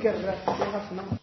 Grazzi ħafna.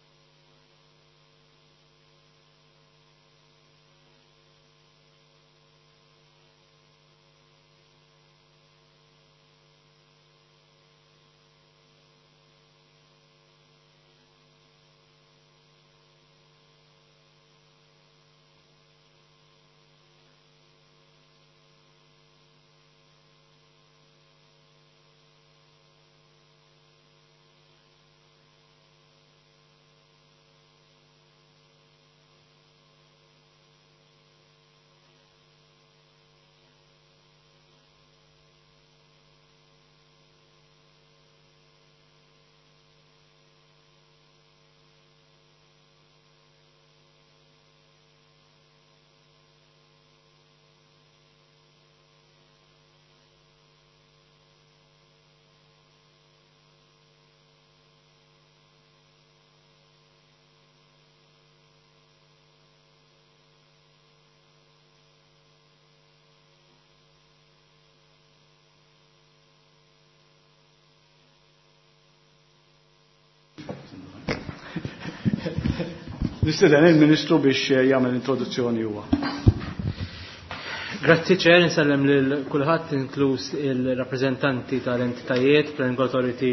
Nistieden il-Ministru biex jagħmel introduzzjoni huwa. Grazzi ċer, nsellem lil kulħadd inkluż il-rappreżentanti tal-entitajiet, Planning Authority,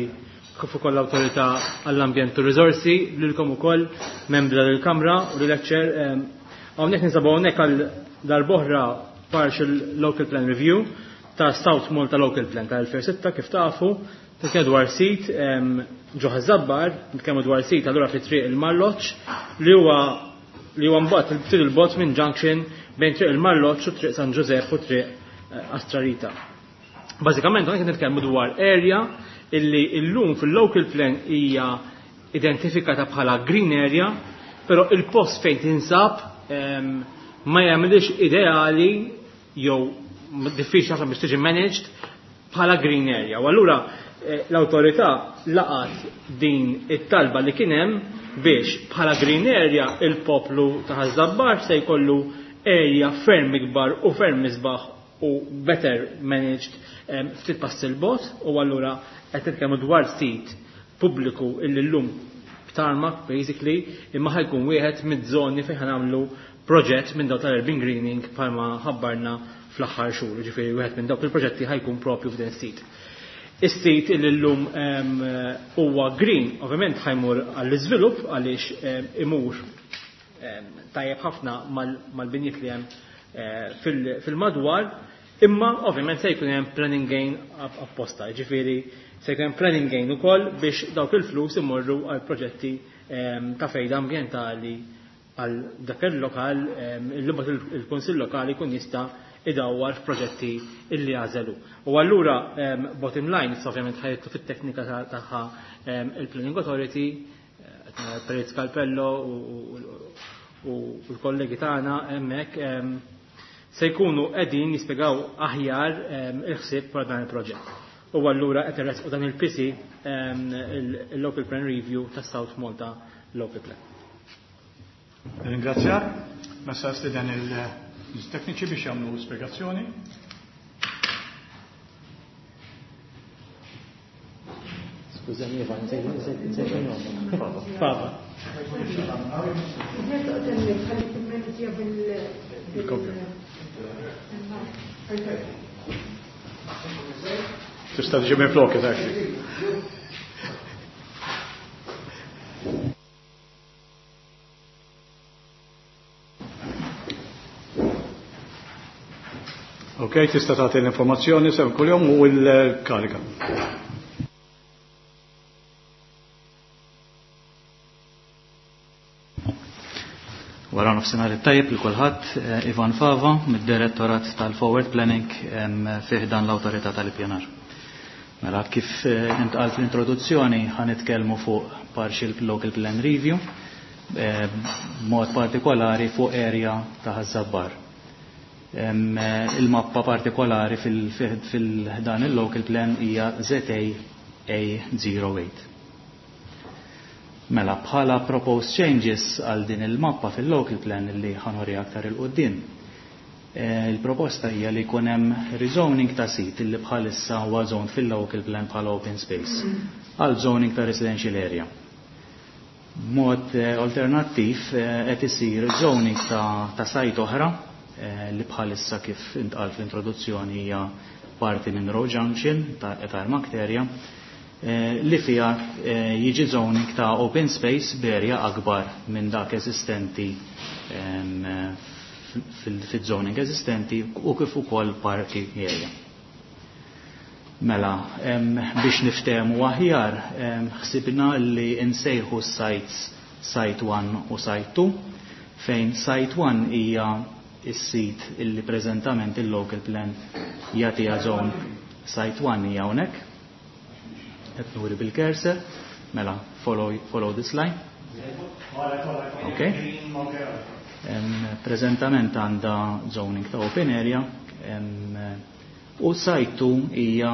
kif ukoll l-Awtorità għall-Ambjent u Riżorsi, lilkom ukoll membri tal-Kamra u lil ċer. Hawnhekk ninsabu hawnhekk għal darb'oħra partial local plan review ta' South Malta Local Plan ta' 2006 kif tafu, nitkellmu dwar sit ġo Ħaż-Żabbar, nitkellmu dwar sit allura fi triq il-Marloċ li huwa li huwa mbagħad ftit il-bot minn junction bejn triq il-Marloċ u triq San Ġużepp u triq Astrarita. Bażikament hawnhekk nitkellmu dwar area illi illum fil-local plan hija identifikata bħala green area, però il-post fejn tinsab ma jagħmilx ideali jew diffiċli ħafna biex tiġi managed bħala green area. U allura l-awtorità laqat din it-talba li kien hemm biex bħala green area il-poplu ta' Ħaż-Żabbar se jkollu area ferm ikbar u ferm isbaħ u better managed ftit pass il-bot, u allura qed nitkellmu dwar sit pubbliku illi llum b'tarmac basically imma ħajkun wieħed mid-żoni fejn ħanamlu proġett minn dawk tal-urban greening bħalma ħabbarna fl-aħħar xhur, ġifieri wieħed minn dawk il-proġetti ħajkun propju f'din is-sit. Is-sit illi llum huwa green, ovvjament ħajmur għall-iżvilupp għaliex imur tajjeb ħafna mal-binjiet li hemm fil-madwar, imma ovvjament se jkun hemm planning gain apposta, ġifieri se jkun hemm planning gain ukoll biex dawk il-flus imorru għal proġetti ta' fejda ambjentali għal dak il-lokal, il-lubot il-Kunsill Lokali jkun jista' idawwar f'proġetti illi għażelu. U allura bottom line, issa ovvjament ħajtu fit-teknika tagħha il-Planning Authority, Perit Scalpello u l-kollegi tagħna hemmhekk se jkunu qegħdin jispjegaw aħjar il-ħsieb wara dan il-proġett. U allura qed irresqu dan il-PC il-Local Plan Review ta' South Malta Local Plan. Ringrazzjak. Messa stieden il-tekniċi biex jagħmlu spjegazzjoni. Skużani, Ivan, nsejt Fava. Tista' tiġi minn flok, actually. Ok, tista' tagħti l-informazzjoni sew kuljum u l-karika. Wara nofsinhar it-tajjeb lil kulħadd, Ivan Fava mid-Direttorat tal-Forward Planning fih dan l-Awtorità tal-Ippjanar. Mela kif intqal fl-introduzzjoni ħanitkellmu fuq Partial Local Plan Review, b'mod partikolari fuq area ta' Ħaż-Żabbar. Il-mappa partikolari fil-dan il-local plan hija ZA A08. Mela bħala proposed changes għal din il-mappa fil-local plan li ħanuri aktar il-qoddim. Il-proposta hija li jkun hemm rezoning ta' sit li bħalissa huwa zoned fil-local plan bħala open space għal zoning ta' residential area. B'mod alternattiv qed isir zoning ta' site oħra li bħalissa, kif intqal fl-introduzzjoni, hija parti minn Road Junction ta' tarmac area, li fiha jiġi zoning ta' open space b'area akbar minn dak eżistenti fil-zoning eżistenti u kif ukoll parking area. Mela, biex niftehmu aħjar, ħsibna li nsejħu sites Site 1 u Site 2, fejn Site 1 hija is-sit illi preżentament il-local plan jagħtiha zone. Site 1 hija hawnhekk. Qed nuri bil-cursor. Mela, follow this line. Okay. Preżentament għandha zoning ta' open area u site 2 hija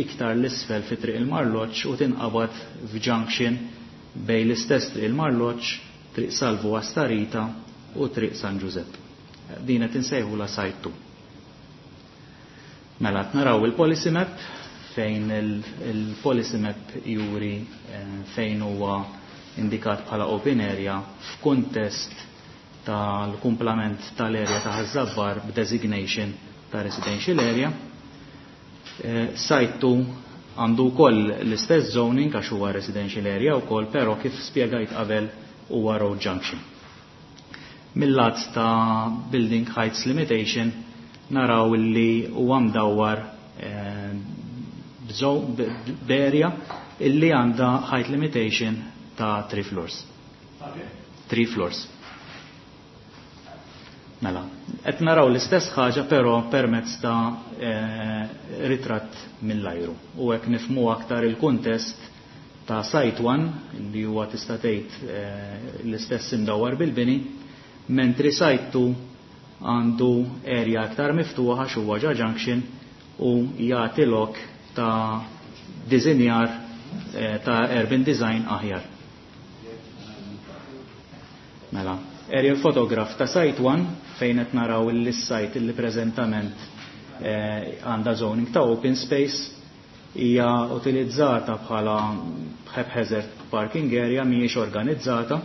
iktar l-isfel fi Triq il-Marloċ u tinqabad f'junction bejn l-istess Triq il-Marloċ, Triq Salvu Astarita u Triq San Giuseppe. Din qed insejħu la site 2. Mela naraw il-policy map, fejn il-policy map juri fejn huwa indikat bħala open area f'kuntest tal-kumplament tal-area ta' Ħaż-Żabbar b'designation ta' residential area. Site 2 għandu wkoll l-istess zoning għax huwa residential area wkoll, però kif spjegajt qabel huwa road junction. Mill-lat ta' building heights limitation naraw li huwa mdawwar b'area illi għandha height limitation ta' 3 floors. 3 floors. Mela, qed naraw l-istess ħaġa, però permezz ta' ritratt mill-ajru. U hekk nifhmu aktar il-kuntest ta' Site 1, li huwa tista' tgħid l-istess imdawwar bil-bini, mentri Site 2 għandu area aktar miftuħa għax huwa ġa junction u jagħti lok ta' dizinjar ta' urban design aħjar. Mela, aerial photograph ta' Site 1, fejn qed naraw il-site li preżentament għandha zoning ta' open space, hija utilizzata bħala haphazard parking area, mhijiex organizzata.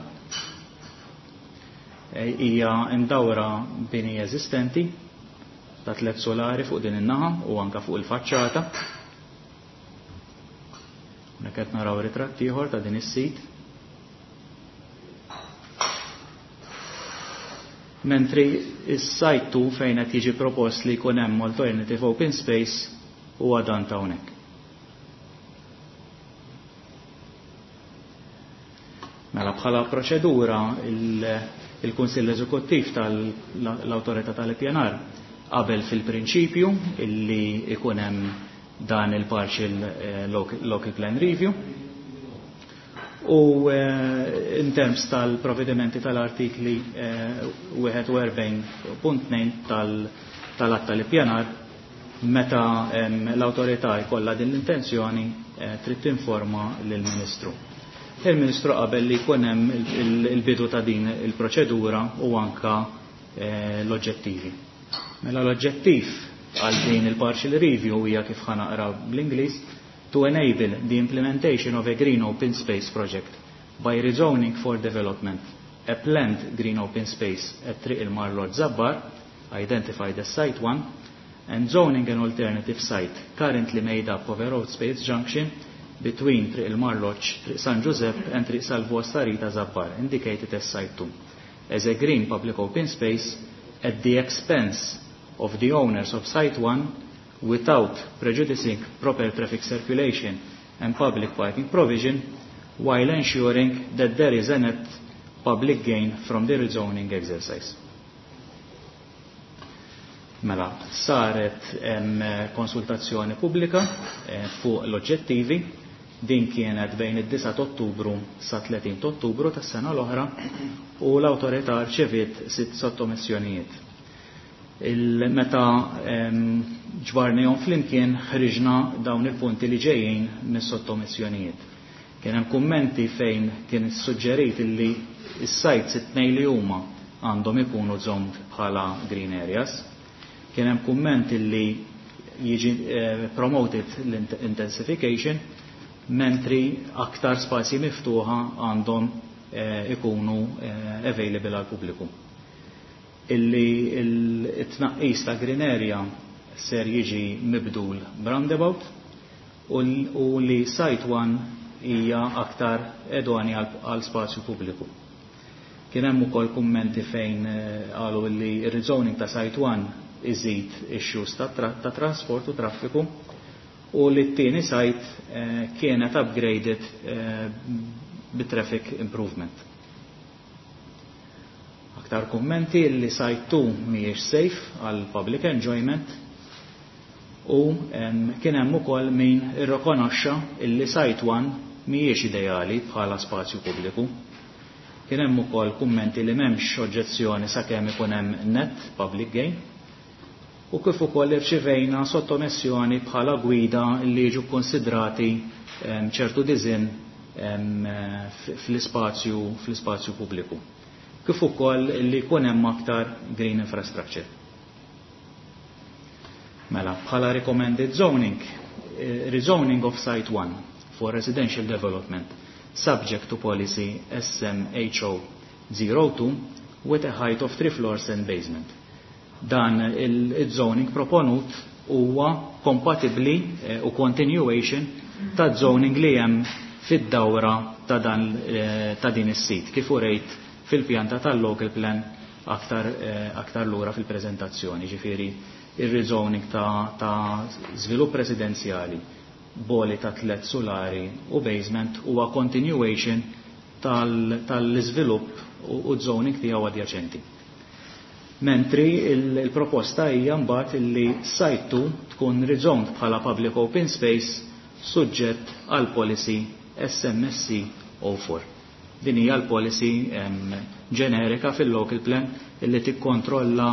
Hija imdawra bini eżistenti ta' tliet solari fuq din in-naħa u anka fuq il-faċċata. Hawnhekk qed naraw ritratt ieħor ta' din is-sit. Mentri is-site 2, fejn qed jiġi propost li jkun hemm alternative open space, huwa dan ta' hawnhekk. Mela, bħala proċedura, il-Kunsill Eżekuttiv tal-Awtorità tal-Ippjanar qabel fil-prinċipju illi ikun hemm dan il-partial local plan review u in terms tal-provvedimenti tal-artikli 41.2 tal-att tal-ippjanar, meta l-autorità jkollha din l-intenzjoni, trid tinforma lill-Ministru. Il-Ministru qabel li jkun hemm il-bidu ta' din il-proċedura u anka l-oġġettivi. Mela, l-oġġettiv għal din il-partial review hija, kif ħa naqra bl-Ingliż, to enable the implementation of a green open space project by rezoning for development a planned green open space at Triq il-Marloċ Zabbar, identified as Site 1, and zoning an alternative site currently made up of a road space junction between Triq il-Marloċ, Triq San Giuseppe and Triq Salvu Astarita Zabbar, indicated as Site 2, as a green public open space at the expense of the owners of Site 1, without prejudicing proper traffic circulation and public parking provision, while ensuring that there is a net public gain from the rezoning exercise. Mela, saret konsultazzjoni pubblika fuq l-oġġettivi. Din kienet bejn id-9 Ottubru sa 30 Ottubru tas-sena l-oħra u l-awtorità rċeviet sitt sottomissjonijiet. Meta ġbarnihom flimkien, ħriġna dawn il-punti li ġejjin mis-sottomissjonijiet. Kien hemm kummenti fejn kien suġġerit illi s-sites it-tnejn li huma għandhom ikunu zoned bħala green areas. Kien hemm kumment illi jiġi promoted l-intensification, mentri aktar spazji miftuħa għandhom ikunu available għal pubbliku. Illi it-tnaqqis ta' green area ser jiġi mibdul b'roundabout u li site 1 hija aktar idonea għal spazju pubbliku. Kien hemm ukoll kummenti fejn qalu li r-rezoning ta' site 1 iżid issues ta' trasport u traffiku u li t-tieni site kienet upgraded bit-traffic improvement. Aktar kummenti li site 2 mhijiex safe għal public enjoyment u kien hemm ukoll min irrikonoxxa illi site 1 mhijiex ideali bħala spazju pubbliku. Kien hemm ukoll kummenti li m'hemmx oġġezzjoni sakemm ikun hemm net public gain u kif ukoll irċivejna sottomessjoni bħala gwida li jiġu konsidrati ċertu design fl-ispazju pubbliku. Kif ukoll li jkun hemm aktar green infrastructure. Mela, bħala recommended zoning, rezoning of Site 1 for residential development, subject to policy SMHO 02 with a height of 3 floors and basement. Dan il-zoning proponut huwa kompatibbli u continuation ta' zoning li hemm fid-dawra ta' din is-sit, kif urejt fil-pjanta tal-local plan aktar lura fil-preżentazzjoni, ġifieri ir-rezoning ta' żvilupp residenzjali, boli ta' 3 solari u basement huwa continuation tal-iżvilupp u zoning tiegħu adjaċenti. Mentri il-proposta hija mbagħad illi site 2 tkun rezoned bħala public open space suġġett għal policy SMSC 04. Din hija l-policy ġenerika fil-local plan illi tikkontrolla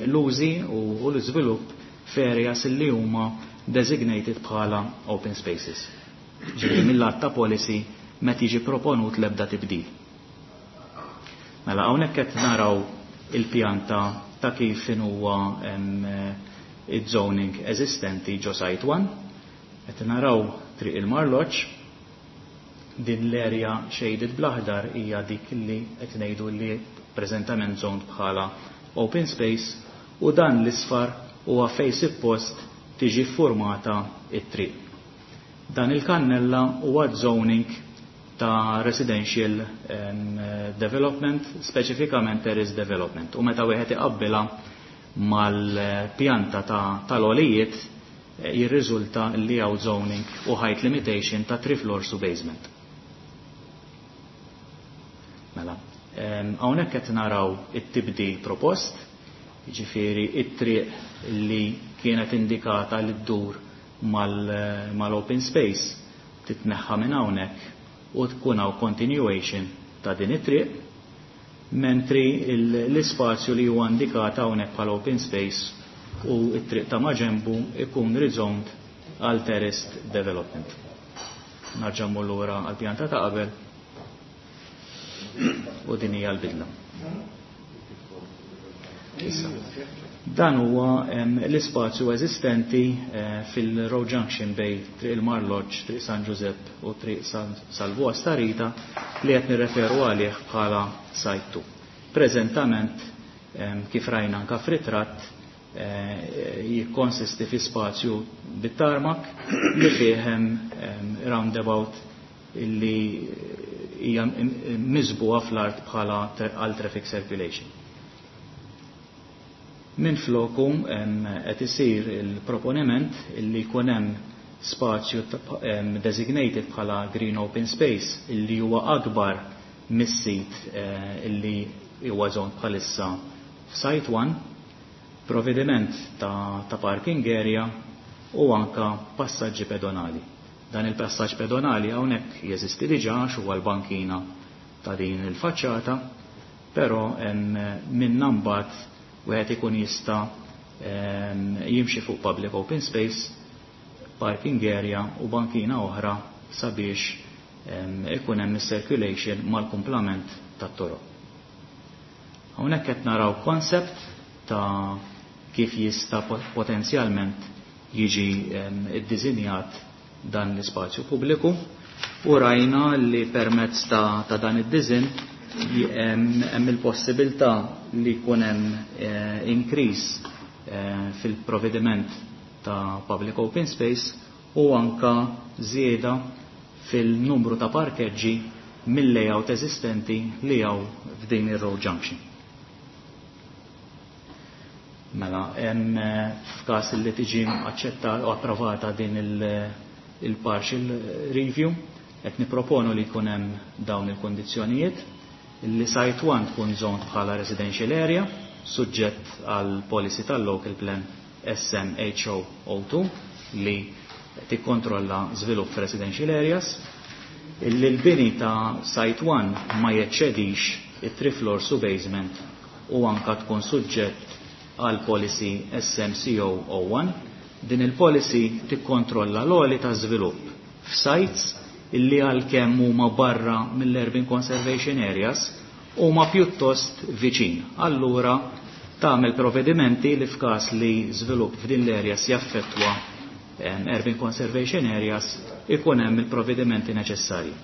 l-użi u l-iżvilupp f'areas illi huma designated bħala open spaces. Ġifieri mill-att ta' policy meta jiġi proponut l-ebda tibdil. Mela hawnhekk qed naraw il-pjanta ta' kif huwa il-zoning eżistenti ġo site 1. Qed naraw triq il-Marloċ, din l-area shaded bl-aħdar hija dik li qed ngħidu li preżentament zoned bħala open space u dan l-isfar huwa fejn suppost tiġi formata it-triq. Dan il-kannella huwa zoning ta' residential development, speċifikament terrace development. U meta wieħed iqabbilha mal-pjanta tal-għolijiet jirriżulta li hawn zoning u height limitation ta' 3 floors u basement. Mela, hawnhekk qed naraw it-tibdil propost, jiġifieri it-triq li kienet indikata li ddur mal-open space titneħħa minn hawnhekk u tkun hawn continuation ta' din it-triq, mentri l-ispazju li huwa indikat hawnhekk bħala open space u t-triq ta' maġenbu ikun rezoned għal terraced development. Narġa' mmur lura għal pjanta ta' qabel u din hija l-bidla. Issa. Dan huwa l-ispazju eżistenti fil-Road Junction bej Triq il-Marloġġ, Triq San Giuseppe u Triq San Salvu Astarita li qed nirreferu għalih bħala Site 2. Preżentament, kif rajna anka f'ritratt, jikkonsisti fi spazju bit-tarmak li fih roundabout illi hija miżbuha fl-art bħala għal traffic circulation. Min floku qed isir il-proponiment illi jkun hemm spazju designated bħala green open space illi huwa akbar mis-sit illi huwa zon bħalissa f'site 1, provvediment ta' parking area u anka passaġġi pedonali. Dan il-passaġġ pedonali hawnhekk jeżisti diġà għax huwa l-bankina ta' din il-faċċata, però minna mbagħad wieħed ikun jista' jimxi fuq public open space, parking area u bankina oħra sabiex ikun hemm circulation mal-kumplament tat-toroq. Hawnhekk qed naraw concept ta' kif jista' potenzjalment jiġi iddisinjat dan l-ispazju pubbliku u rajna li permezz ta' dan id-design hemm il-possibilità li jkun hemm increase fil-provvediment ta' public open space u anka żieda fil-numru ta' parkeġġi mill-layout eżistenti li hawn f'din ir-road junction. Mela, hemm f'każ li tiġi aċċettata u approvata din il-partial review, qed niproponu li jkun hemm dawn il-kondizzjonijiet, li site 1 tkun zoned bħala residential area, suġġett għal policy tal-local plan SMHO02 li tikkontrolla żvilupp residential areas, illi l-bini ta' site 1 ma jeċċedix it-3 floors u basement u anka tkun suġġett għal policy SMCO01. Din il-policy tikkontrolla l-għoli ta' żvilupp f'sites illi għalkemm huma barra mill-Urban Conservation Areas huma pjuttost viċin. Allura tagħmel provvedimenti li f'każ li żvilupp f'din l-areas jaffettwa Urban Conservation Areas ikun hemm il-provvedimenti neċessarji.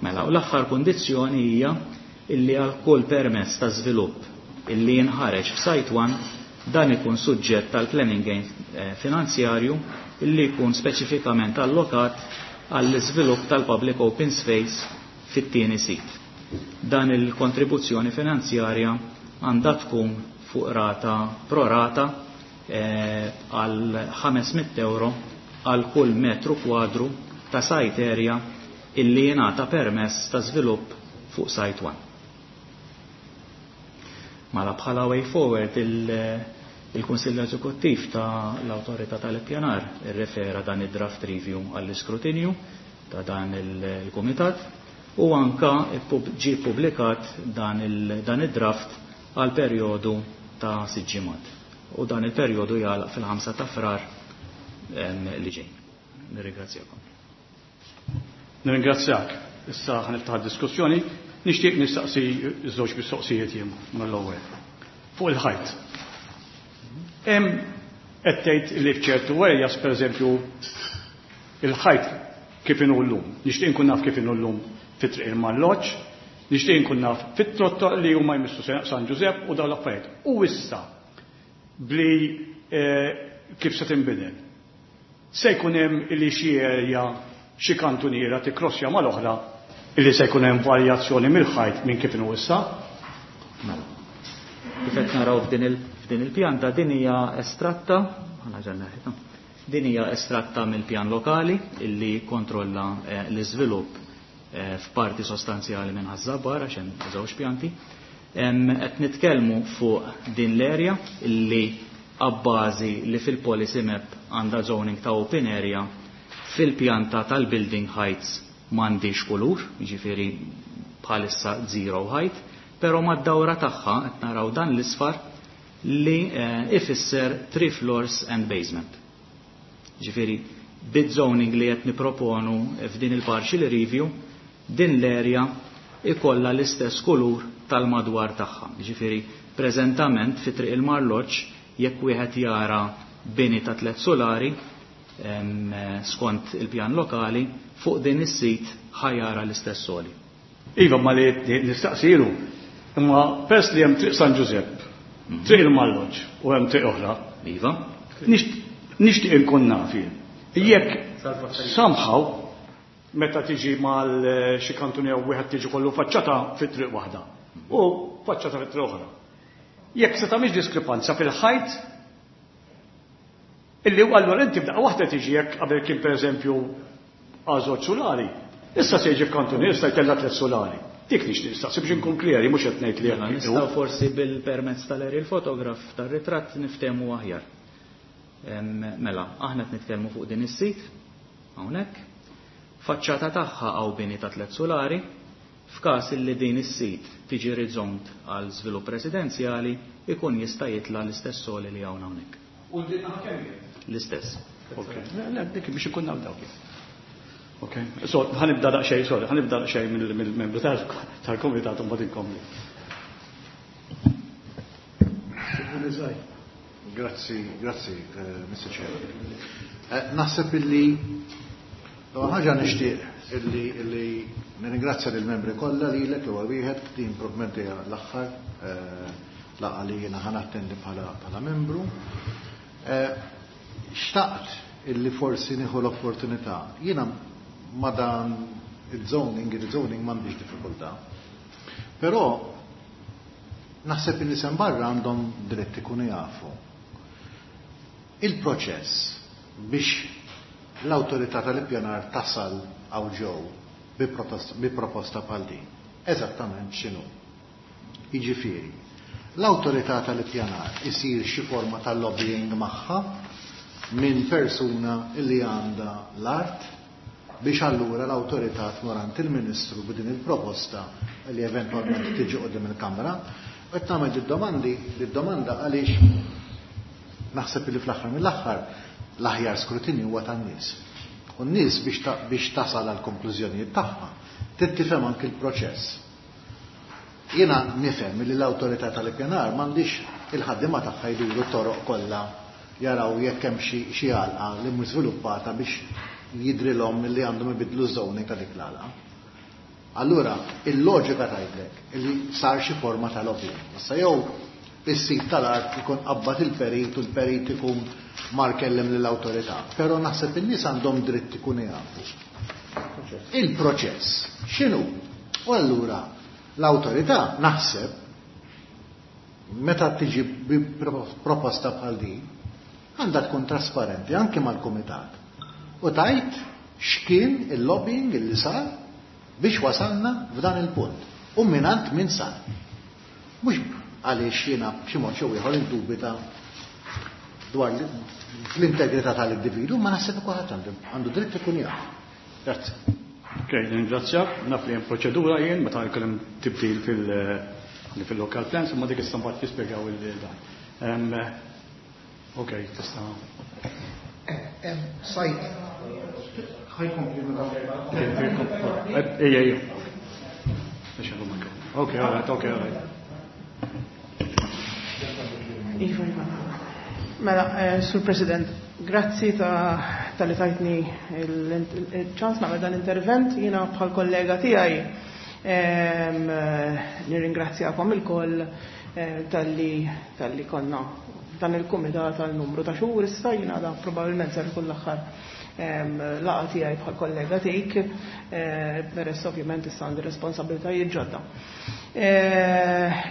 Mela, u l-aħħar kundizzjoni hija illi għal kull permess ta' żvilupp illi jinħareġ f'Site 1 dan ikun suġġett tal-planning gain finanzjarju illi jkun speċifikament allokat għall-iżvilupp tal-public open space fit-tieni sit. Dan il-kontribuzzjoni finanzjarja għandha tkun fuq rata pro rata għal 500 euro għal kull metru kwadru ta' site area illi jingħata permess ta' żvilupp fuq site 1. Mela bħala way forward il-Kunsill Eżekuttiv ta' l-Awtorità tal-Ippjanar irrefera dan id-draft review għall-iskrutinju ta' dan il-Kumitat u anka ġie publikat dan id-draft għal perjodu ta' 6 ġimgħat. U dan il-perjodu jagħlaq fil-5 ta' Frar li ġej. Nirringrazzjakom. Nirringrazzjak. Issa ħa niftaħ diskussjoni. Nixtieq nistaqsi żewġ mistoqsijiet jien mill-ewwel. Fuq il-ħajt. Hemm qed tgħid li f'ċertu areas pereżempju il-ħajt kif inhu llum. Nixtieq nkun naf kif inhu llum fit-triq il-Malloċ, nixtieq nkun naf fit-trotto li huma jmissu San Ġużepp u dawn l-affarijiet. U issa bli kif se tinbidel. Se jkun hemm li xi area xi kantuniera tikkrossja mal-oħra illi se jkun hemm varjazzjoni mill-ħajt minn kif inhu issa? Mela. Kif qed naraw f'din il-pjanta din hija estratta, din hija estratta mill-pjan lokali illi kontrolla l-iżvilupp f'parti sostanzjali minn Ħaż-Żabbar għax hemm żewġ pjanti. Qed nitkellmu fuq din l-area illi abbażi li fil-policy map għandha zoning ta' open area fil-pjanta tal-building heights m'għandix kulur, jiġifieri bħalissa zero height, però mad-dawra tagħha qed naraw dan l-isfar li ifisser 3 floors and basement. Ġifieri bid-zoning li qed niproponu f'din il-partial review, din l-area ikolla l-istess kulur tal-madwar tagħha. Ġifieri preżentament fi triq il-Marloċ jekk wieħed jara bini ta' 3 solari skont il-pjan lokali fuq din is-sit ħajara l-istess soli. Iva, ma li nistaqsilu, imma pers li hemm triq San Ġużepp, triq il-Malloġ u hemm triq oħra. Iva. Nixtieq inkun naf jien. Jekk somehow meta tiġi mal xi kantuni jew wieħed tiġi kollu faċċata fit-triq waħda u faċċata fit-triq oħra. Jekk se tagħmilx diskrepanza fil-ħajt illi allura inti b'daqqa waħda tiġi jekk qabel kien pereżempju għażoġ solari, issa se jiġi f'kantuni, issa jtella' 3 solari. Dik nixtieq nistaqsi biex inkun kleri, mhux qed ngħid li Mela, jekk nistgħu forsi bil-permezz tal-aerial photograph tar-ritratt niftehmu aħjar. Mela, aħna qed nitkellmu fuq din is-sit hawnhekk. Faċċata tagħha hawn bini ta' 3 solari, f'każ illi din is-sit tiġi rezoned għal żvilupp residenzjali, ikun jista' jitla' l-istess soli li hawn hawnhekk. U din naħa kemm hi? L-istess. Ok. Le, le, dik biex ikun naf dawk. Ok. So, ħanibda daqsxejn, sorry, ħanibda daqsxejn mill-membru tal-kumitat u mbagħad inkompli. Grazzi, grazzi, Mr. Chair. Naħseb illi l-ewwel ħaġa nixtieq illi illi nirringrazzja lill-membri kollha, lilek l-ewwel wieħed. Din probabbilment hija l-aħħar laqgħa li jiena ħa nattendi bħala membru. Xtaqt illi forsi nieħu l-opportunità. Jiena ma dan il-zoning, il-zoning m'għandix diffikultà. Però naħseb in-nies hemm barra għandhom dritt ikunu jafu il-proċess biex l-awtorità tal-ippjanar tasal hawn ġew bi proposta bħal din. Eżattament x'inhu? Jiġifieri, l-awtorità tal-ippjanar isir xi forma ta' lobbying magħha minn persuna li għandha l-art biex allura l-awtorità tmur għand il-Ministru b'din il-proposta li eventwalment tiġi quddiem il-Kamra. U qed nagħmel id-domandi, id-domanda għaliex naħseb li fl-aħħar mill-aħħar l-aħjar skrutinju huwa tan-nies. U n-nies biex tasal għal konklużjonijiet tagħha trid tifhem anki l-proċess. Jiena nifhem li l-awtorità tal-ippjanar m'għandix il-ħaddiema tagħha jduru t-toroq kollha jaraw jekk hemm xi għalqa li mhux żviluppata biex jidrilhom li għandhom ibidlu ż-zoning ta' dik l-għalqa. Allura, il-loġika tgħidlek li sar xi forma ta' lobbying. Issa jew is-sit tal-art ikun qabbad il-perit u l-perit ikun mar kellem lill-awtorità, però naħseb in-nies għandhom dritt ikunu jafu il-proċess x'inhu. U allura l-awtorità, naħseb, meta tiġi bi proposta bħal din, għandha tkun trasparenti anke mal-kumitat u tgħid x'kien il-lobbying illi sar biex wasalna f'dan il-punt u minant min sar. Mhux għaliex jiena b'xi mod jew ieħor indubita dwar l-integrità tal-individu, ma naħseb kulħadd għandu dritt ikun jaf. Grazzi. Ok, ringrazzjak. Naf li hemm proċedura jien meta jkun hemm tibdil fil-local plans, imma dik issa mbagħad jispjegaw il-dan. Ok, tista'. Sajt. Ħa jkompli mela. Ejja, ejja. Ok, all right, ok, all right. Iva, iva. Mela, Sur President, grazzi ta' talli tajtni il-ċans nagħmel dan intervent. Jiena bħal kollega tiegħi nirringrazzjakom ilkoll talli konna dan il-kumitat għal numru ta' xhur issa. Jiena da probabbilment ser ikun l-aħħar laqgħa tiegħi bħal kollega tiegħek, peress ovvjament issa għandi responsabbiltajiet ġodda.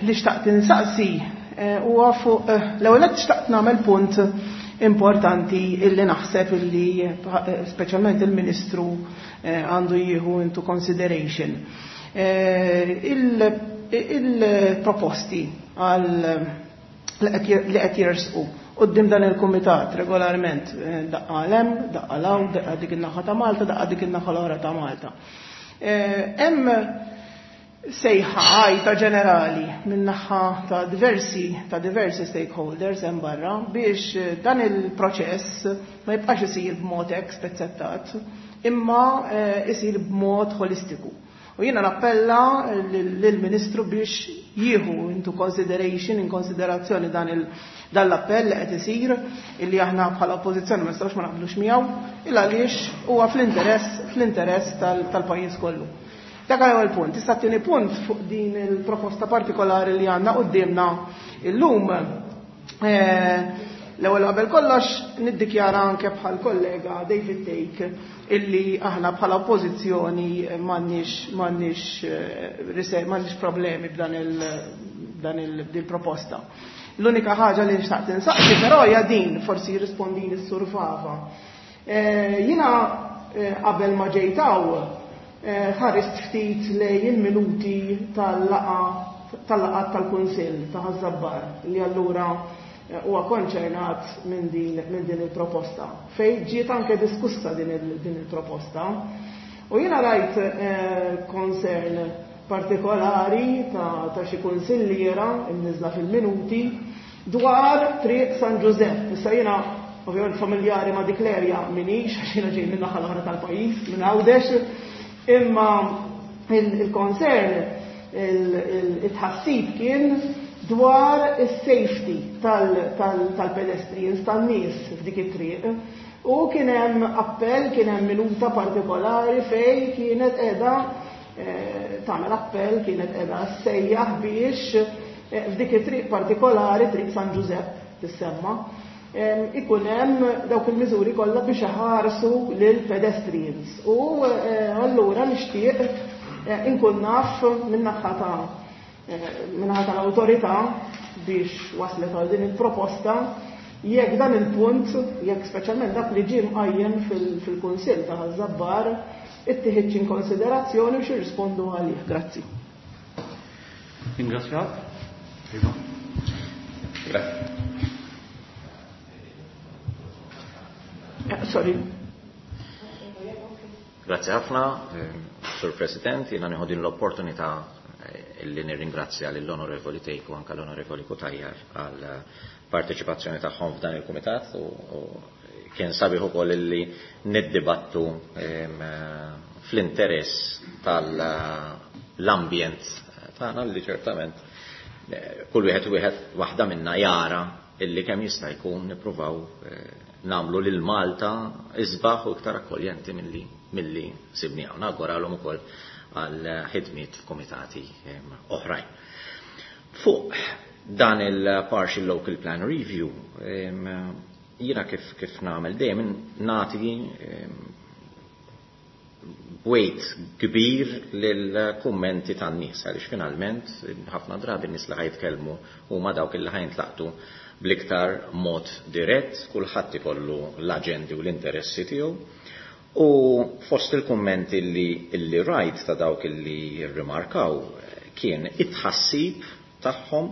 Li xtaqt insaqsi huwa fuq l-ewwel qed xtaqt nagħmel punt importanti illi naħseb illi speċjalment il-Ministru għandu jieħu into consideration. Il-proposti għal li qed jersqu quddiem dan il-kumitat regolarment, daqqa 'l hemm, daqqa 'l hawn, daqqa dik in-naħa ta' Malta, daqqa dik in-naħa l-oħra ta' Malta. Hemm sejħa għajta ġenerali min-naħa ta' diversi stakeholders hemm barra biex dan il-proċess ma jibqax isir b'mod hekk spezzettat, imma isir b'mod holistiku. U jiena nappella lill-Ministru biex jieħu into consideration, in konsiderazzjoni dan dan l-appell li qed isir, illi aħna bħala oppożizzjoni ma nistgħux ma naqblux miegħu, illa għaliex huwa fl-interess tal-pajjiż kollu. Dak l-ewwel punt. Issa t-tieni punt fuq din il-proposta partikolari li għandna quddiemna illum. L-ewwel qabel kollox niddikjara anke bħal kollega David Thake illi aħna bħala oppożizzjoni m'għandniex problemi b'dan il dan il proposta. L-unika ħaġa li nixtaq insaqsi però hija din, forsi jirrispondini s-Sur Fava. Jiena qabel ma ġejt hawn ħarist ftit lejn il-minuti tal-laqgħat tal-Kunsill ta' Ħaż-Żabbar li allura huwa konċernat minn din il-proposta, fej ġiet anke diskussa din il-proposta. U jiena rajt concern partikolari ta' xi kunsilliera imniżla fil-minuti dwar Triq San Giuseppe. Issa jiena ovvjament familjari ma' dik l-area minix, għax jiena ġej minn naħa l-oħra tal-pajjiż, minn Għawdex, imma il-concern, il-tħassib kien. dwar is-safety tal-pedestrians, tan-nies f'dik it-triq. U kien hemm appell, kien hemm minuta partikolari fejn kienet qiegħda tagħmel appell, kienet qiegħda ssejjaħ biex f'dik it-triq partikolari, Triq San Ġużepp tissemma, ikun hemm dawk il-miżuri kollha biex iħarsu lil pedestrians. U allura nixtieq inkun naf min-naħa ta' min-naħa tal-awtorità biex waslet għal din il-proposta jekk dan il-punt, jekk speċjalment dak li ġie mqajjem fil-Kunsill ta' Ħaż-Żabbar ittieħidx in konsiderazzjoni u x'irrispondu għalih. Grazzi. Ringrazzjak. Iva. Grazie. Sorry. Grazie ħafna, Sur President, jiena nieħu din l-opportunità illi nirringrazzja lill-Onorevoli Tejk u anke l-Onorevoli Cutajar għal parteċipazzjoni tagħhom f'dan il-kumitat u kien sabiħ ukoll illi niddibattu fl-interess tal-ambjent tagħna li ċertament kull wieħed u wieħed waħda minna jara illi kemm jista' jkun nippruvaw nagħmlu lil Malta isbaħ u iktar akkoljenti milli sibni hawn. Nawguralhom ukoll għal ħidmiet f'komitati oħrajn. Fuq dan il-Partial Local Plan Review, jiena kif nagħmel dejjem nagħti weight kbir lill-kummenti tan-nies, għaliex finalment ħafna drabi n-nies li ħajtkellmu huma dawk li ħajntlaqtu bl-iktar mod dirett, kulħadd ikollu l-aġendi u l-interessi tiegħu. U fost il-kummenti li rajt ta' dawk li rrimarkaw kien it-tħassib tagħhom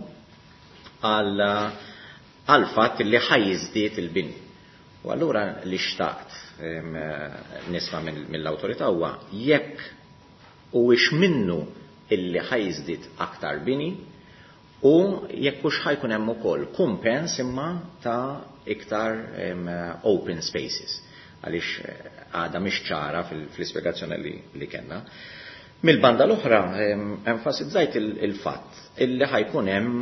għal fatt li ħajjiżdied il-bini. U allura li xtaqt nisma' mill-awtorità huwa jekk huwiex minnu illi ħajjiżdied aktar bini u jekk hux ħajkun hemm ukoll kumpens imma ta' iktar open spaces, għaliex għadha mhix ċara fl-ispjegazzjoni li kellna. Mill-banda l-oħra, enfasizzajt il-fatt illi ħajkun hemm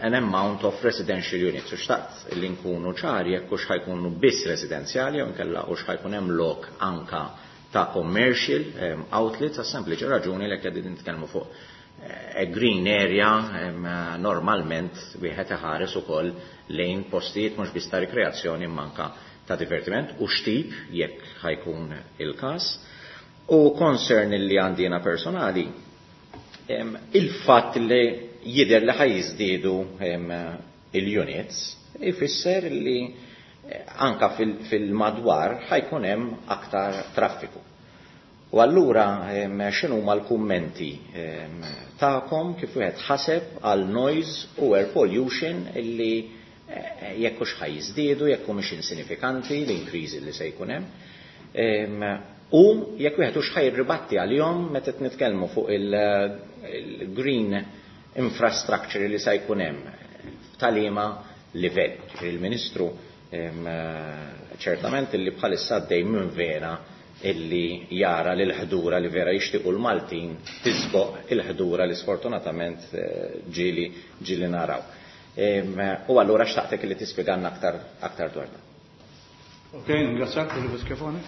an amount of residential units, u xtaqt li nkunu ċari jekk hux ħajkunu biss residenzjali jew inkella hux ħajkun hemm lok anka ta' commercial outlets, għas sempliċi raġuni li qegħdin nitkellmu fuq a green area, normalment wieħed iħares ukoll lejn postijiet mhux biss ta' rikreazzjoni imma anka ta' divertiment u xtip jekk ħajkun il-każ. U concern li għandi jiena personali, il-fatt li jidher li ħajjiżdiedu il-units ifisser li anka fil-madwar ħajkun hemm aktar traffiku. U allura x'inhuma l-kummenti tagħkom kif wieħed ħaseb għal noise u air pollution illi jekk hux ħajjiżdiedu, jekk humiex insinifikanti l-increase li se jkun hemm. U jekk wieħed hux ħajribatti għalihom meta qed nitkellmu fuq il-green infrastructure li se jkun hemm f'taliema livell. Il-Ministru ċertament illi bħalissa għaddej minn vera illi jara li l-ħdura li vera jixtiequ l-Maltin tisboq il-ħdura li sfortunatament ġieli naraw. U allura xtaqtek li tispjegalna aktar dwar dan. Ok, ringrazzjak, Oliver Schiavone.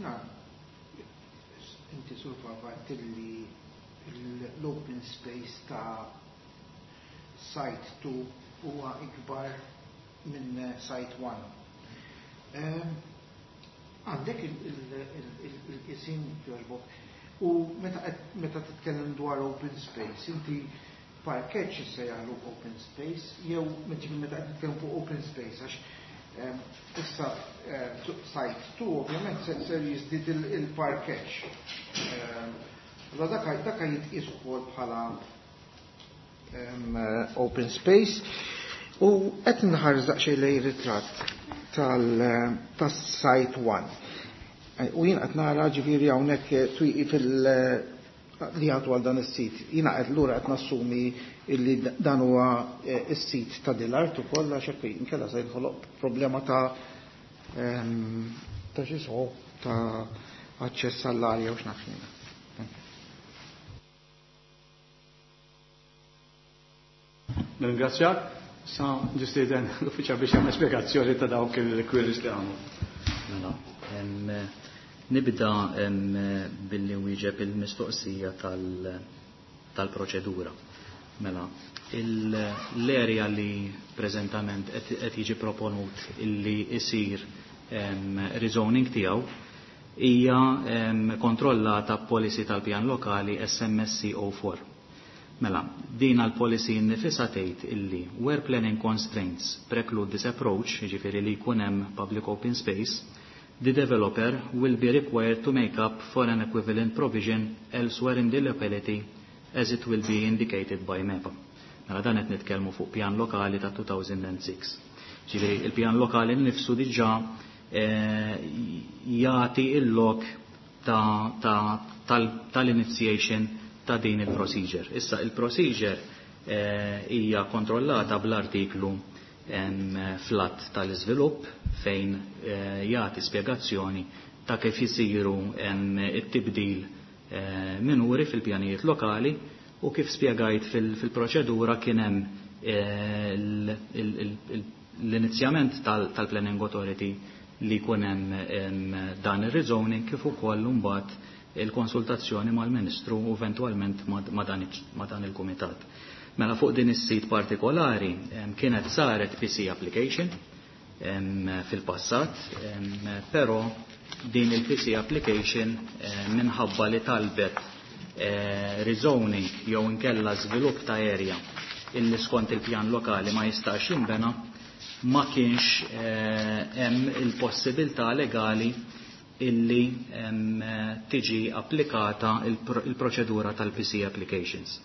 Na, inti Sur Fava tilli l-open space ta' site 2 huwa ikbar minn site 1. Għandek il-isim jogħġbok. U meta titkellem dwar open space, inti parkeġġ issejjaħlu open space, jew meta qed titkellem fuq open space, għax issa site 2 ovvjament se jiżdied il-parkeġġ. Allora dak jitqies ukoll bħala open space. U qed nħares daqsxejn lejn ritratt tas-site 1. U jien qed nara ġifieri hawnhekk twieqi fil li għadu għal dan is-sit. Jiena qed lura qed nassumi illi dan huwa is-sit ta' dil-art ukoll għax hekk inkella se jinħoloq problema ta' xi so ta' aċċess għall-arja u x'naf jiena. Nirringrazzjak. Sa nistieden l-uffiċjal biex jagħmel spjegazzjoni ta' dawk il-queries li għamlu. Mela, nibda billi wieġeb il-mistoqsija tal-proċedura. Mela, l-area li preżentament qed jiġi proponut illi isir rezoning tiegħu hija kontrollata policy tal-pjan lokali SMSC 04. Mela, din għal-policy nifisha tgħid illi where planning constraints preclude this approach, jiġifieri li jkun hemm public open space, the developer will be required to make up for an equivalent provision elsewhere in the locality as it will be indicated by MEPA. Mela dan qed nitkellmu fuq pjan lokali ta' 2006. Ġifieri il-pjan lokali nnifsu diġà jagħti il-lok tal-initiation ta' din il-procedure. Issa il-procedure hija kontrollata bl-artiklu flat tal-iżvilupp fejn jagħti spjegazzjoni ta' kif isiru it-tibdil minuri fil-pjanijiet lokali u kif spjegajt fil-proċedura kien hemm l-inizjament tal-Planning Authority li jkun hemm dan ir-rezoning kif ukoll imbagħad il-konsultazzjoni mal-Ministru u eventwalment ma' dan il-Kumitat. Mela fuq din is-sit partikolari kienet saret PC application fil-passat, però din il-PC application minħabba li talbet rezoning jew inkella żvilupp ta' area illi skont il-pjan lokali ma jistax jinbena, ma kienx hemm il-possibilità legali illi tiġi applikata il-proċedura tal-PC applications.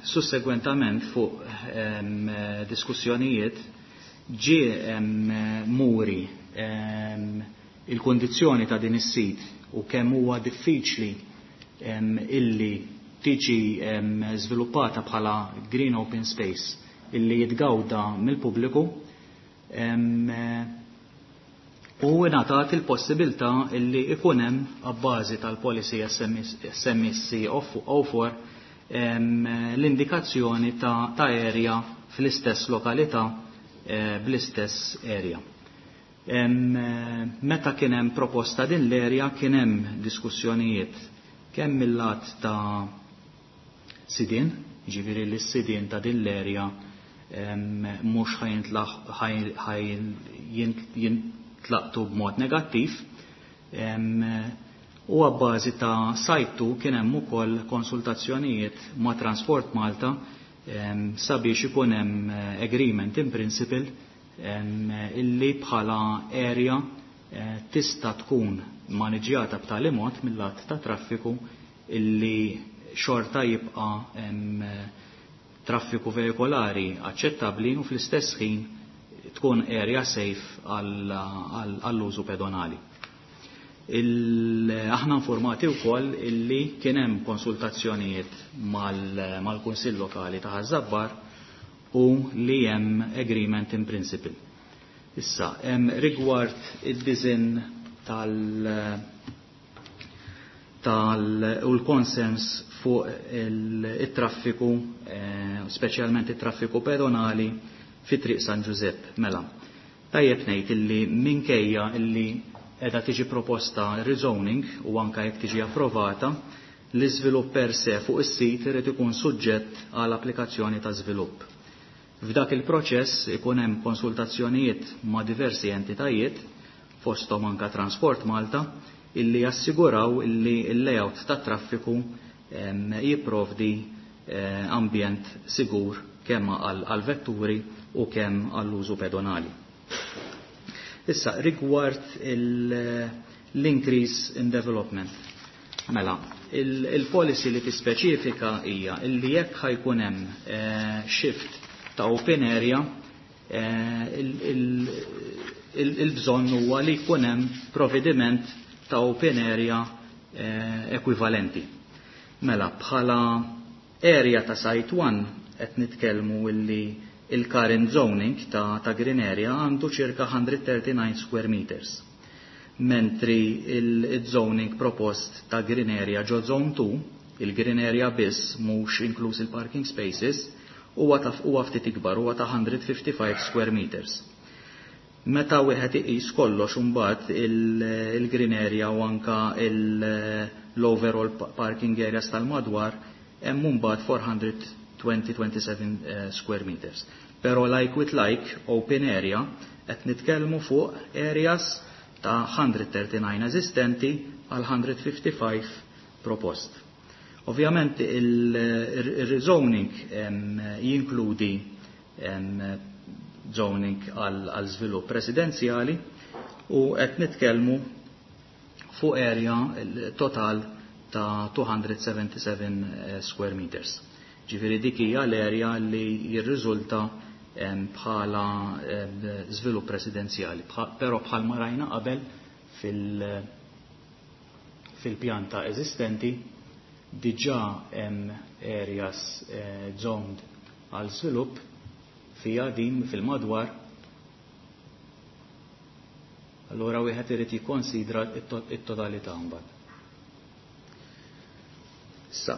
Sussegwentament fuq diskussjonijiet ġie muri il-kondizzjoni ta' din is-sit u kemm huwa diffiċli illi tiġi żviluppata bħala green open space illi jitgawda mill-pubbliku, u ngħatat il-possibilità illi ikun hemm abbażi tal-policy SMSC 04 l-indikazzjoni ta' area fl-istess lokalità bl-istess area. Meta kien hemm proposta din l-area kien hemm diskussjonijiet kemm mill-lat ta' sidien, ġifieri li s-sidien ta' din l-area mhux jintlaqtu b'mod negattiv, u għabbażi ta' sajtu kien hemm ukoll konsultazzjonijiet ma' Transport Malta sabiex ikun hemm agreement in principle illi bħala area tista' tkun maniġjata b'tali mod mill-lat ta' traffiku illi xorta jibqa' traffiku vehikolari aċċettabbli u fl-istess ħin tkun area safe għall-użu pedonali. Aħna informati wkoll illi kien hemm konsultazzjonijiet mal-Kunsill Lokali ta' Ħaż-Żabbar u li hemm agreement in principle. Issa, hemm rigward id-disinn tal u l-konsens fuq il-traffiku, speċjalment it-traffiku pedonali fi Triq San Ġużepp. Mela, tajjeb ngħid illi minkejja illi qiegħda tiġi proposta rezoning u anke jekk tiġi approvata, l-iżvilupp per se fuq is-sit irid ikun suġġett għal applikazzjoni ta' żvilupp. F'dak il-proċess ikun hemm konsultazzjonijiet ma' diversi entitajiet, fosthom anka Transport Malta, illi jassiguraw illi l-layout ta' traffiku jipprovdi ambjent sigur kemm għal vetturi u kemm għall-użu pedonali. Issa, rigward l-increase in development. Mela, il-policy li tispeċifika hija illi jekk ħajkun hemm shift ta' open area, il-bżonn huwa li jkun hemm provvediment ta' open area ekwivalenti. Mela, bħala area ta' site 1 qed nitkellmu illi il-current zoning ta' green area għandu ċirka 139 square meters. Mentri il-zoning propost ta' green area ġo zone 2, il-green area biss mhux inkluż il-parking spaces, huwa ta' huwa ftit ikbar, huwa ta' 155 square meters. Meta wieħed iqis kollox imbagħad il-green area u anka l-overall parking areas tal-madwar hemm imbagħad 420-27 square meters. Però like with like open area qed nitkellmu fuq areas ta' 139 eżistenti għal 155 propost. Ovvjament il-rezoning jinkludi zoning għal żvilupp residenzjali u qed nitkellmu fuq area total ta' 277 square meters. Ġifieri dik hija l-area li jirriżulta bħala żvilupp residenzjali, però bħalma rajna qabel fil-pjanta eżistenti diġà hemm areas zoned għal żvilupp fija din fil-madwar. Allura wieħed irid jikkonsidra it-totalità mbagħad. Issa,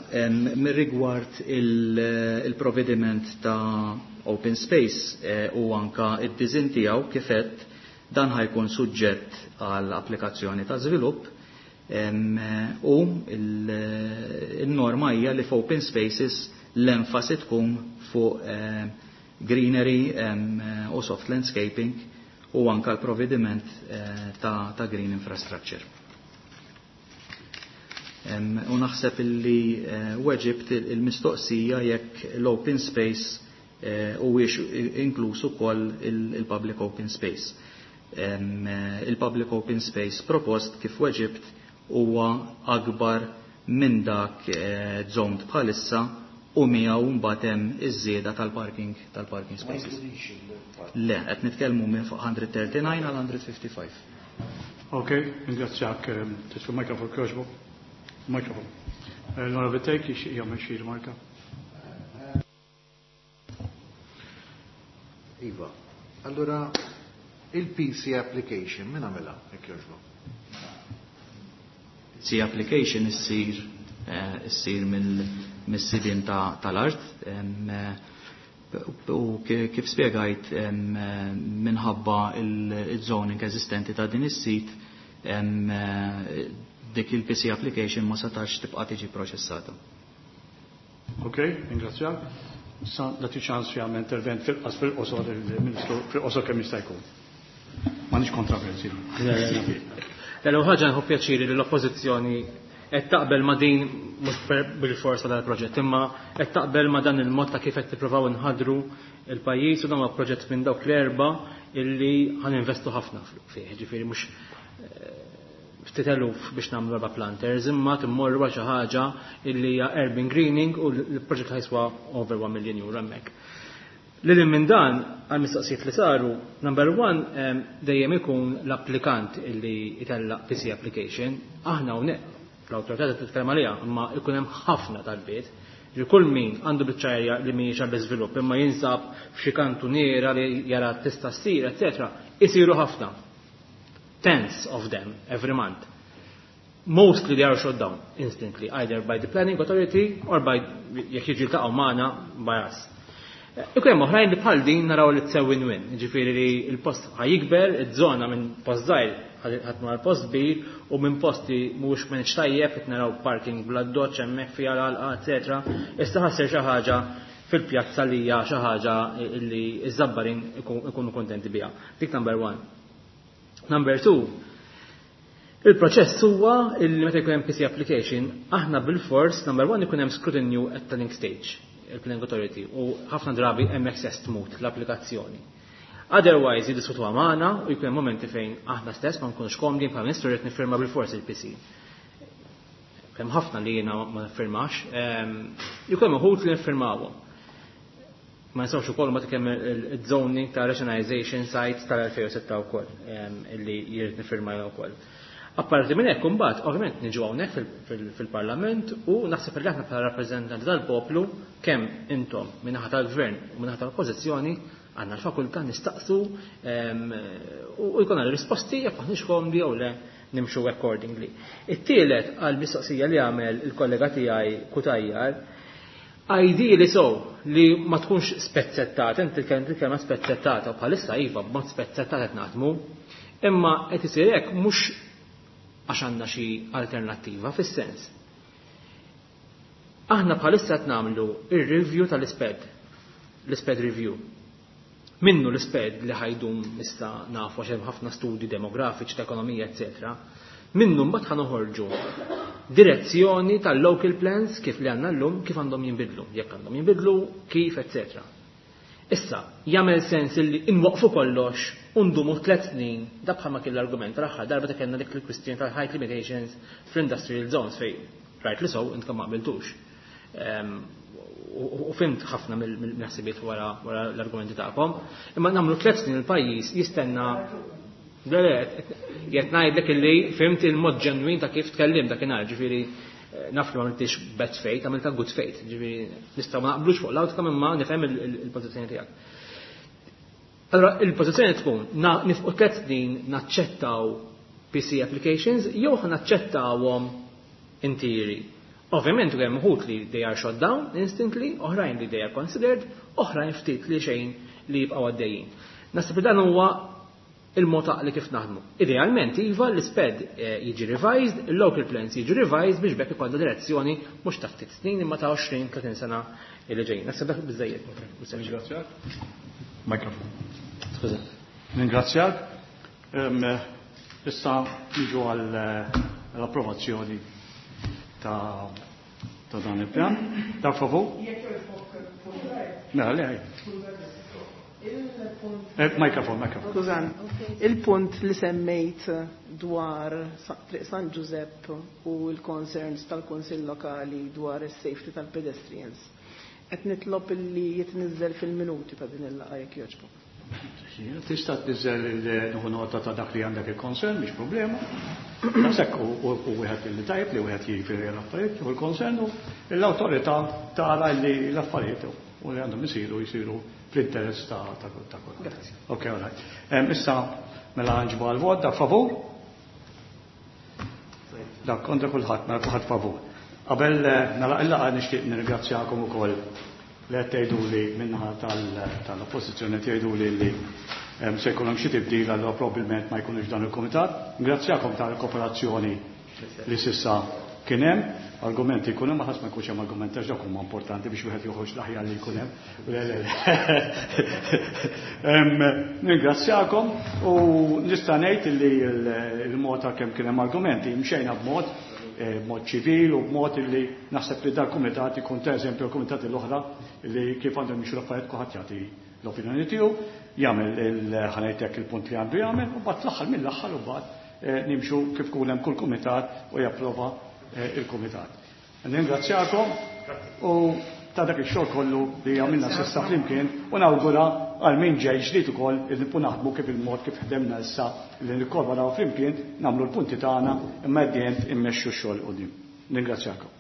mir-rigward il-provvediment ta' open space u anka id-design tiegħu kif qed dan ħajkun suġġett għal applikazzjoni ta' żvilupp u il-norma hija li f'open spaces l-enfasi tkun fuq greenery u soft landscaping u anka l-provvediment ta' green infrastructure. U naħseb illi weġibt il-mistoqsija jekk l-open space huwiex inkluż ukoll il-public open space. Il-public open space propost kif weġibt huwa akbar minn dak zoned bħalissa u miegħu mbagħad hemm iż-żieda tal-parking spaces. Le, qed nitkellmu minn fuq 139 għal 155. Ok, ringrazzjak, titfu mikrofon kjoġbu. Mikrofon. L-Onorevoli Thake jixtieq jagħmel xi rimarka. Iva, allora il-PC application min għamilha jekk jogħġbok? PC application issir mis-sidien tal-art u kif spjegajt minħabba il-zoning eżistenti ta' din is-sit dik il-PC application ma setax tibqa' tiġi proċessata. Ok, ringrazzjak. Sa nagħti ċans jagħmel intervent fil-qas fil-qosor il-Ministru fil-qosor kemm jista' jkun. M'għandix kontroversi. L-ewwel ħaġa nħobb pjaċiri li l-Oppożizzjoni qed taqbel ma' din mhux bil-forsa dal-proġett, imma qed taqbel ma' dan il-mod ta' kif qed tippruvaw inħadru il-pajjiż u dan huwa proġett minn dawk l-erba' illi ħaninvestu ħafna fih, ġifieri mhux ftit eluf biex nagħmlu erba' planters, imma timmorru għal xi ħaġa illi hija urban greening u l-proġett ħajswa over 1 million euro hemmhekk. Lil minn dan, għal mistoqsijiet li saru, number one, dejjem ikun l-applikant illi jtella PC application, aħna hawnhekk l-awtorità titkellem għaliha, imma ikun hemm ħafna talbiet li kull min għandu biċċa li mhijiex għall iżvilupp imma jinsab f'xi kantuniera li jara tista' ssir, eċetera, isiru ħafna. Tens of them every month. Mostly they are shot down instantly, either by the planning authority or by jekk jiġu jiltaqgħu magħna by us. Ikun hemm oħrajn li bħal din naraw li tsew win-win, jiġifieri li l-post ħajikber, iż-żona minn post żgħir ħadd mar post kbir u minn posti mhuwiex minn tajjeb qed naraw parking bla doċ hemmhekk fiha l-għalqa, eċetera. Issa ħassir xi ħaġa fil-pjazza li hija xi ħaġa li ż-Żabbarin ikunu kontenti biha. Dik number one. Number two, il-proċess huwa li meta jkun hemm PC application, aħna bil-fors number one ikun hemm scrutiny at planning stage, il-planning authority, u ħafna drabi hemm access tmut l-applikazzjoni. Otherwise, jiddiskutu magħna u jkun hemm momenti fejn aħna stess ma nkunux komdi bħala ministru rrid nifirma bil-fors il-PC. Hemm ħafna li jiena ma nifirmax, jkun hemm uħud li nifirmawhom. Ma nsawx ukoll ma kemm il-zoning ta' rationalization sites tal-2006 wkoll illi jrid nifirma wkoll. Apparti minn hekk imbagħad ovvjament niġu hawnhekk fil-Parlament u naħseb li aħna bħala rappreżentanti tal-poplu kemm intom min-naħa tal-Gvern u min-naħa tal-Oppożizzjoni għandna l-fakultà nistaqsu u jkollna risposti jekk aħniex komdi jew le nimxu accordingly. It-tielet għal mistoqsija li għamel il-kollega tiegħi Cutajar. Ideally so, li ma tkunx spezzettata, inti titkellem kelma spezzettata, u bħalissa iva b'mod spezzettat qed naħdmu, imma qed isir hekk mhux għax għandna xi alternattiva fis-sens. Aħna bħalissa qed nagħmlu ir-review tal-isped, l-isped review. Minnu l-isped li ħajdum issa nafu għax hemm ħafna studji demografiċi ta' ekonomija, eċetera. Minnu mbagħad ħa noħorġu direzzjoni tal-local plans kif li għandna llum kif għandhom jinbidlu, jekk għandhom jinbidlu, kif, eċetera. Issa, jagħmel sens illi inwaqfu kollox u ndumu 3 snin, da bħalma kien l-argument tal-aħħar darba ta' kellna dik il-kwistjoni tal-height limitations fl-industrial zones fej right li sow intkom ma qbiltux. U fimt ħafna mill-ħsibiet wara l-argumenti tagħkom, imma nagħmlu 3 snin il-pajjiż jistenna. Le, le, qed ngħidlek illi fimt il-mod ġenwin ta' kif tkellim dakinhar, ġifieri naf li ma għamiltix bad faith, għamilta good faith, ġifieri nistgħu ma naqblux fuq l-outcome imma nifhem il-pożizzjoni tiegħek. Allora, il-pożizzjoni tkun nifqu 3 snin naċċettaw PC applications jew naċċettawhom intiri. Ovvjament hemm uħud li they are shot down instantly, oħrajn li they are considered, oħrajn ftit li xejn li jibqgħu għaddejjin. Naħseb li dan huwa il-mod li kif naħdmu. Idealment, iva, l-isped jiġi revised, il-local plans jiġi revised biex bekk ikollna direzzjoni mhux ta' ftit snin imma ta' 20-30 sena li ġejjin. Naħseb dak biżejjed. Ringrazzjak. Mikrofon. Skuża. Ringrazzjak. Issa niġu għall-approvazzjoni ta' dan il-pjan. Dak favur? Mela, le, Mikrofon, mikrofon. Skużan, il-punt li semmejt dwar Triq San Giuseppe u l-concerns tal-Kunsill Lokali dwar is-safety tal-pedestrians. Qed nitlob li jitniżel fil-minuti ta' din il-laqgħa jekk jogħġbok. Tista' tniżel il-nieħu nota ta' dak li għandek il-concern, mhix problema. Naħseb u wieħed li tajb li wieħed jiġifieri l-affarijiet u l-concern u l-awtorità tara li l-affarijiet u li għandhom isiru jsiru fl-interess ta' kulħadd. Grazie. Ok, all right. Issa mela nġibu għal-vot, dak favur? Dak kontra kulħadd, mela kulħadd favur. Qabel nagħlaq il-laqgħa nixtieq nirringrazzjakom ukoll li qed tgħiduli min-naħa tal-oppożizzjoni tgħiduli li se jkun hemm xi tibdil allura probabbilment ma jkunux dan il-kumitat. Ngrazzjakom tal-kooperazzjoni li s'issa kien hemm, argumenti jkun hemm, ma ħadd ma jkunx hemm argumenti għax dak huma importanti biex wieħed joħroġ l-aħjar li jkun hemm. Le, le, le. Ningrazzjakom u nista' ngħid li l-mod ta' kemm kien hemm argumenti mxejna b'mod ċivil u b'mod li naħseb li dal-kumitat ikun ta' eżempju l-kumitati l-oħra li kif għandhom jimxu l-affarijiet kulħadd jagħti l-opinjoni tiegħu, jagħmel ħanejtek il-punt li għandu jagħmel u mbagħad fl-aħħar mill-aħħar u mbagħad nimxu kif kun hemm kull kumitat u japprova il-kumitat. Ningrazzjakom u ta' dak ix-xogħol kollu li għamilna s'issa flimkien u nawgura għal min ġej ġdid ukoll li nibqgħu naħdmu kif il-mod kif ħdemna issa li nikkollaboraw flimkien, nagħmlu l-punti tagħna imma at the end immexxu x-xogħol quddiem. Ningrazzjakom.